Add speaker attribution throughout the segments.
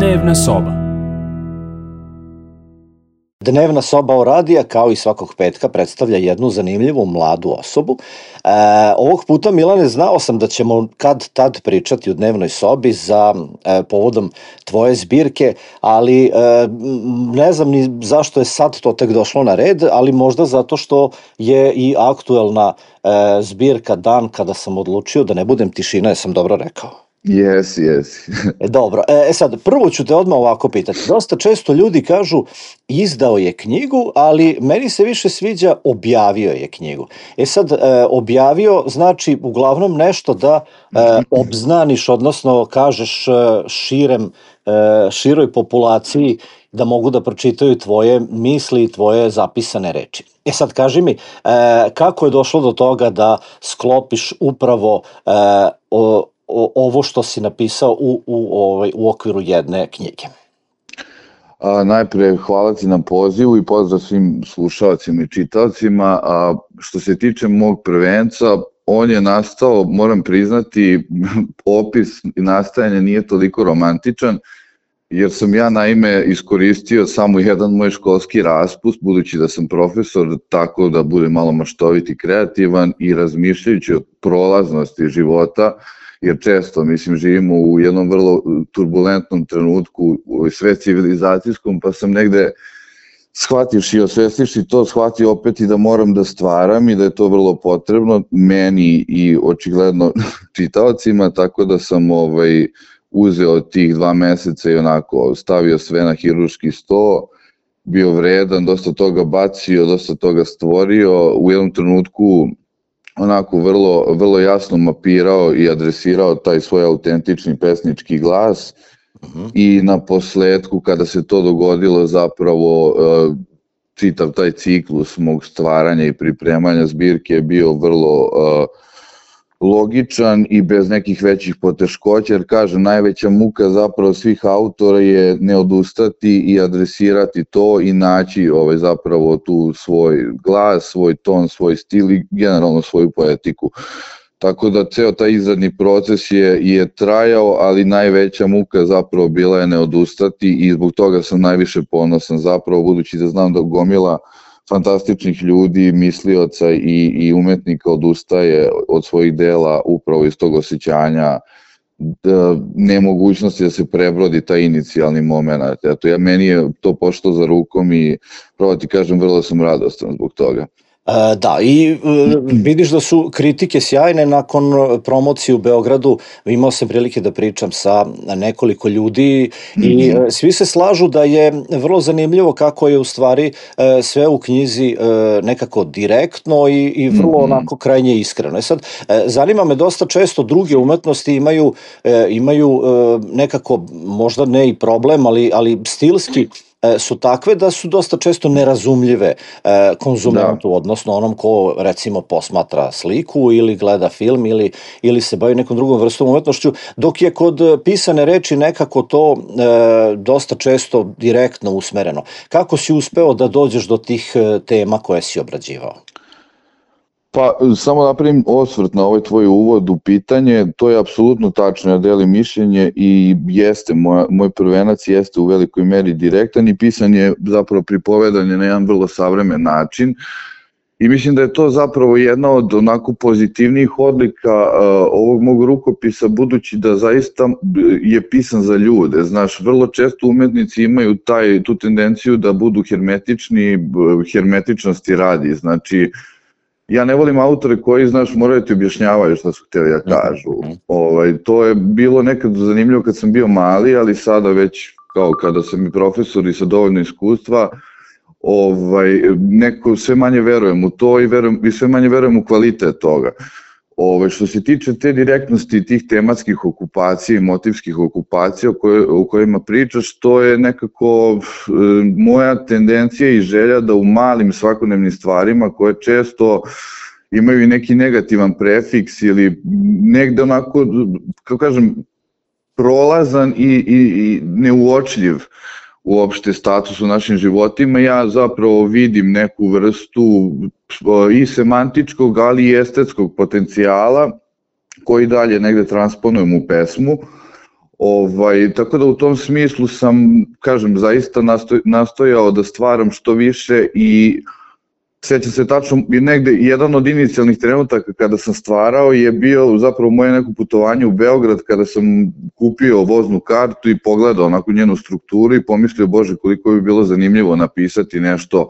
Speaker 1: Dnevna soba.
Speaker 2: Dnevna soba radija, kao i svakog petka, predstavlja jednu zanimljivu mladu osobu. Ovog puta, Milane, znao sam da ćemo kad tad pričati u dnevnoj sobi za povodom tvoje zbirke, ali ne znam ni zašto je sad to tek došlo na red, ali možda zato što je i aktuelna zbirka Dan kada sam odlučio da ne budem tišina, jesam dobro rekao?
Speaker 3: Jesi.
Speaker 2: Dobro, sad, prvo ću te odmah ovako pitati. Dosta često ljudi kažu izdao je knjigu, ali meni se više sviđa objavio je knjigu. Sad, objavio znači uglavnom nešto da obznaniš, odnosno kažeš široj populaciji da mogu da pročitaju tvoje misli i tvoje zapisane reči. Sad, kaži mi, kako je došlo do toga da sklopiš upravo ovo što si napisao u okviru jedne knjige?
Speaker 3: Najpre hvala ti na pozivu i pozdrav svim slušalcima i čitaocima. Što se tiče mog prvenca, on je nastao, moram priznati, opis nastajanja nije toliko romantičan, jer sam ja naime iskoristio samo jedan moj školski raspust, budući da sam profesor, tako da budem malo maštovit i kreativan i razmišljajući o prolaznosti života, jer često, živimo u jednom vrlo turbulentnom trenutku, sve civilizacijskom, pa sam negde shvativši i osvestivši to, shvatio opet i da moram da stvaram i da je to vrlo potrebno meni i očigledno čitaocima, tako da sam uzeo tih 2 meseca i onako stavio sve na hirurški sto, bio vredan, dosta toga bacio, dosta toga stvorio, u jednom trenutku onako vrlo jasno mapirao i adresirao taj svoj autentični pesnički glas i na posledku kada se to dogodilo zapravo čitav taj ciklus mog stvaranja i pripremanja zbirke je bio vrlo logičan i bez nekih većih poteškoća, jer kažem, najveća muka zapravo svih autora je ne odustati i adresirati to i naći zapravo tu svoj glas, svoj ton, svoj stil i generalno svoju poetiku. Tako da ceo taj izradni proces je trajao, ali najveća muka zapravo bila je ne odustati i zbog toga sam najviše ponosan zapravo, budući da znam da gomila fantastičnih ljudi, mislioca i umetnika odustaje od svojih dela upravo iz tog osjećanja nemogućnosti da se prebrodi taj inicijalni moment. Meni je to pošlo za rukom i pravo ti kažem, vrlo sam radostan zbog toga.
Speaker 2: Da, i vidiš da su kritike sjajne. Nakon promocije u Beogradu imao sam prilike da pričam sa nekoliko ljudi i svi se slažu da je vrlo zanimljivo kako je u stvari sve u knjizi nekako direktno i vrlo onako krajnje iskreno. Sad, zanima me, dosta često druge umetnosti imaju nekako, možda ne i problem, ali stilski su takve da su dosta često nerazumljive konzumentu, odnosno onom ko recimo posmatra sliku ili gleda film ili se bavi nekom drugom vrstom umetnošću, dok je kod pisane reči nekako to dosta često direktno usmereno. Kako si uspeo da dođeš do tih tema koje si obrađivao?
Speaker 3: Pa, samo napravim osvrt na ovaj tvoj uvod u pitanje, to je apsolutno tačno, ja delim mišljenje i jeste, moj prvenac jeste u velikoj meri direktan i pisan je zapravo pripovedanje na jedan vrlo savremen način i mislim da je to zapravo jedna od onako pozitivnijih odlika ovog mog rukopisa, budući da zaista je pisan za ljude. Znaš, vrlo često umetnici imaju tu tendenciju da budu hermetični, hermetičnosti radi, znači ja ne volim autore koji, znaš, moraju ti objašnjavaju šta su htjeli da kažu. To je bilo nekad zanimljivo kad sam bio mali, ali sada već kao kada sam i profesor i sa dovoljno iskustva, neko sve manje verujem u to i sve manje verujem u kvalitet toga. Što se tiče te direktnosti tih tematskih okupacija i motivskih okupacija o kojima pričaš, to je nekako moja tendencija i želja da u malim svakodnevnim stvarima koje često imaju i neki negativan prefiks ili negde onako, kako kažem, prolazan i neuočljiv uopšte status u našim životima, ja zapravo vidim neku vrstu i semantičkog, ali i estetskog potencijala koji dalje negde transponujem u pesmu Tako da u tom smislu sam, kažem, zaista nastojao da stvaram što više i sećam se tačno i negde jedan od inicijalnih trenutaka kada sam stvarao je bio zapravo moje neko putovanje u Beograd kada sam kupio voznu kartu i pogledao onako njenu strukturu i pomislio, bože, koliko bi bilo zanimljivo napisati nešto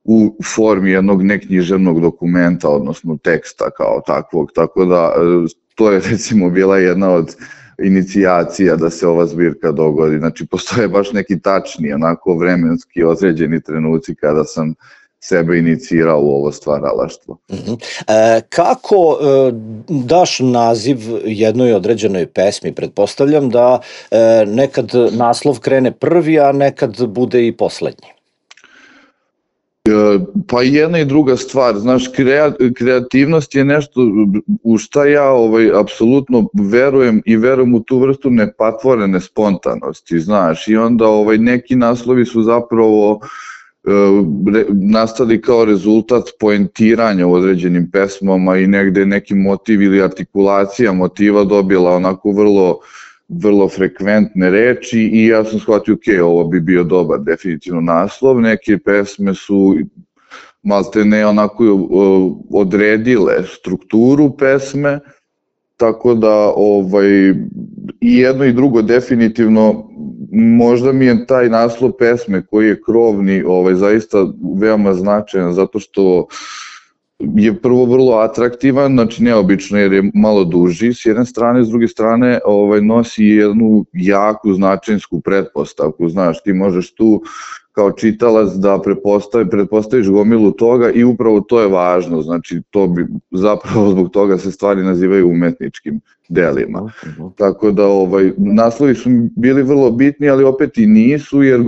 Speaker 3: u formi jednog neknjiževnog dokumenta, odnosno teksta kao takvog, tako da to je recimo bila jedna od inicijacija da se ova zbirka dogodi. Znači, postoje baš neki tačni, onako vremenski određeni trenuci kada sam sebe inicirao u ovo stvaralaštvo.
Speaker 2: Kako daš naziv jednoj određenoj pesmi? Pretpostavljam da nekad naslov krene prvi, a nekad bude i poslednji.
Speaker 3: Pa jedna i druga stvar, znaš, kreativnost je nešto u šta ja apsolutno verujem i verujem u tu vrstu nepatvorene spontanosti, znaš, i onda neki naslovi su zapravo nastali kao rezultat poentiranja u određenim pesmama i negde neki motiv ili artikulacija motiva dobila onako vrlo frekventne reči i ja sam shvatio, ok, ovo bi bio dobar definitivno naslov. Neke pesme su malte ne onako odredile strukturu pesme, tako da i jedno i drugo definitivno, možda mi je taj naslov pesme koji je krovni zaista veoma značajan zato što je prvo vrlo atraktivan, znači neobično jer je malo duži s jedne strane, s druge strane nosi jednu jaku značinsku pretpostavku, znaš, ti možeš tu kao čitalac da pretpostaviš gomilu toga i upravo to je važno, znači to bi zapravo zbog toga se stvari nazivaju umetničkim delima. Tako da naslovi su bili vrlo bitni, ali opet i nisu jer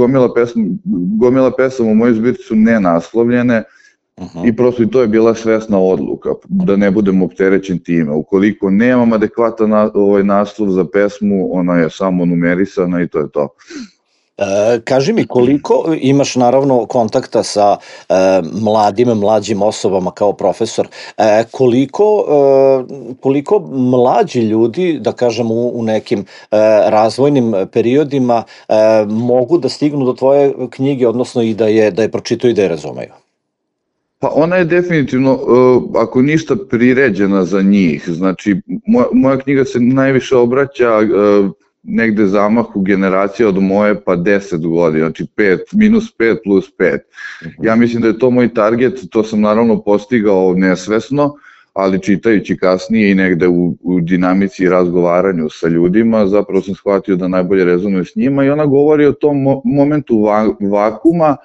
Speaker 3: gomila pesama u mojoj zbirci su nenaslovljene. I prosto i to je bila svesna odluka, da ne budem opterećen time. Ukoliko nemam adekvatan naslov za pesmu, ona je samo numerisana i to je to.
Speaker 2: Kaži mi, koliko imaš naravno kontakta sa mlađim osobama kao profesor, koliko mlađi ljudi, da kažem u nekim razvojnim periodima, mogu da stignu do tvoje knjige, odnosno i da je pročitaju i da je razumeju?
Speaker 3: Pa ona je definitivno, ako ništa, priređena za njih. Znači, moja knjiga se najviše obraća negde zamahu generacija od moje pa 10 godina, znači -5 plus 5. Ja mislim da je to moj target, to sam naravno postigao nesvesno, ali čitajući kasnije i negde u dinamici i razgovaranju sa ljudima, zapravo sam shvatio da najbolje rezonuje s njima i ona govori o tom momentu vakuma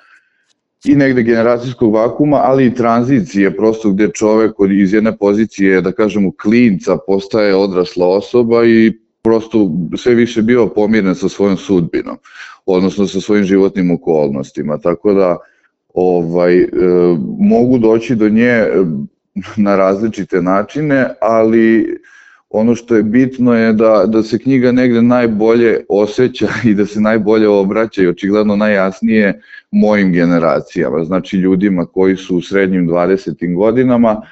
Speaker 3: i negde generacijskog vakuma, ali i tranzicije, prosto gde čovek iz jedne pozicije, da kažemo, klinca postaje odrasla osoba i prosto sve više bio pomiren sa svojom sudbinom, odnosno sa svojim životnim okolnostima, tako da mogu doći do nje na različite načine, ali ono što je bitno je da se knjiga negde najbolje osjeća i da se najbolje obraća i očigledno najjasnije mojim generacijama, znači ljudima koji su u srednjim 20. godinama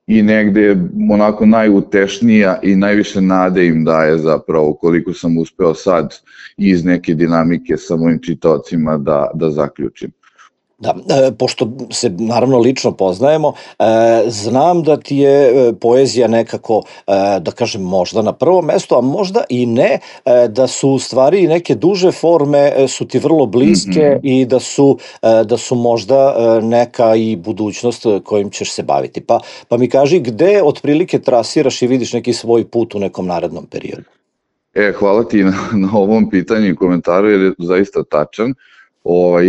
Speaker 3: i negde onako najutešnija i najviše nade im daje zapravo koliko sam uspeo sad iz neke dinamike sa mojim čitaocima da zaključim.
Speaker 2: Da, pošto se naravno lično poznajemo, znam da ti je poezija nekako, da kažem, možda na prvom mestu, a možda i ne, da su u stvari neke duže forme su ti vrlo bliske i da su možda neka i budućnost kojim ćeš se baviti. Pa mi kaži gde otprilike trasiraš i vidiš neki svoj put u nekom narednom periodu?
Speaker 3: Hvala ti na ovom pitanju i komentaru jer je zaista tačan.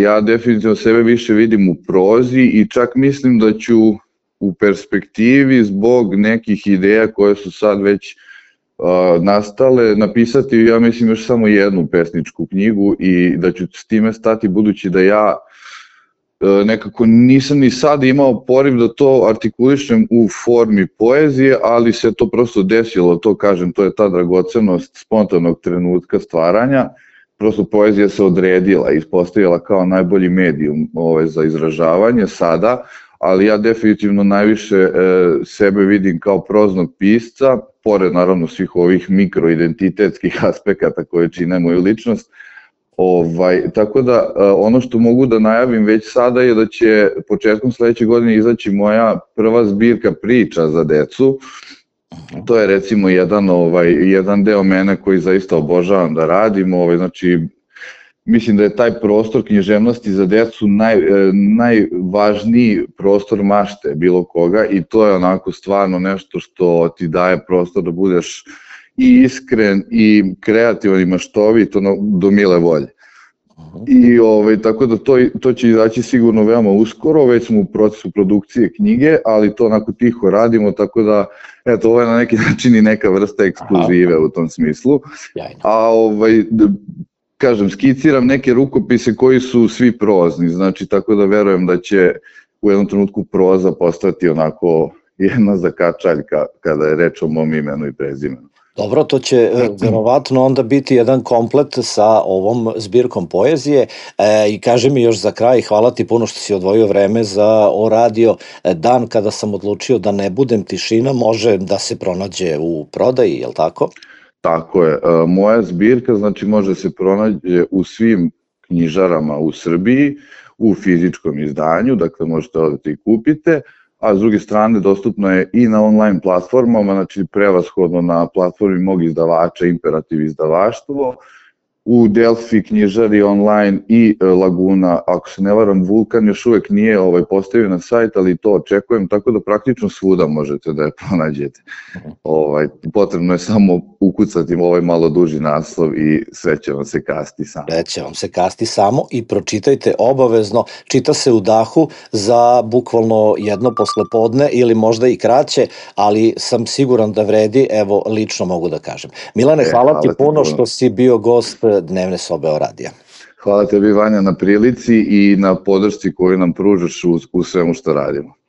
Speaker 3: Ja definitivno sebe više vidim u prozi i čak mislim da ću u perspektivi zbog nekih ideja koje su sad već nastale napisati, ja mislim, još samo jednu pesničku knjigu i da ću s time stati budući da ja nekako nisam ni sad imao poriv da to artikulišem u formi poezije, ali se to prosto desilo, to kažem, to je ta dragocenost spontanog trenutka stvaranja. Prosto poezija se odredila i ispostavila kao najbolji medijum za izražavanje sada, ali ja definitivno najviše sebe vidim kao proznog pisca, pored naravno svih ovih mikroidentitetskih aspekata koje čine moju ličnost. Tako da ono što mogu da najavim već sada je da će početkom sledeće godine izaći moja prva zbirka priča za decu. To je recimo jedan deo mene koji zaista obožavam da radim, znači mislim da je taj prostor književnosti za decu najvažniji prostor mašte bilo koga i to je onako stvarno nešto što ti daje prostor da budeš i iskren i kreativan i maštovit do mile volje. I tako da to će izaći sigurno veoma uskoro, već smo u procesu produkcije knjige, ali to onako tiho radimo, tako da eto, ovo je na neki način i neka vrsta ekskluzive u tom smislu. A kažem, skiciram neke rukopise koji su svi prozni, znači tako da verujem da će u jednom trenutku proza postati onako jedna zakačaljka kada je reč o mom imenu i prezimenu.
Speaker 2: Dobro, to će verovatno onda biti jedan komplet sa ovom zbirkom poezije i kaži mi još za kraj, hvala ti puno što si odvojio vreme za O radio. Dan kada sam odlučio da ne budem tišina može da se pronađe u prodaji, je li tako?
Speaker 3: Tako je, moja zbirka znači može se pronađe u svim knjižarama u Srbiji, u fizičkom izdanju, dakle možete odati i kupite, a s druge strane dostupno je i na online platformama, znači prevashodno na platformi mog izdavača Imperativ izdavaštvo, u Delfi knjižari online i Laguna, ako se ne varam Vulkan još uvek nije postavio na sajt, ali to očekujem, tako da praktično svuda možete da je pronađete. Potrebno je samo ukucati ovaj malo duži naslov i sve će vam se kasti samo.
Speaker 2: Sve će vam se kasti samo i pročitajte obavezno, čita se u dahu za bukvalno jedno poslepodne ili možda i kraće, ali sam siguran da vredi, evo lično mogu da kažem. Milane, hvala ti puno što si bio gost Dnevne sobe O radija.
Speaker 3: Hvala tebi, Vanja, na prilici i na podršci koju nam pružaš u svemu što radimo.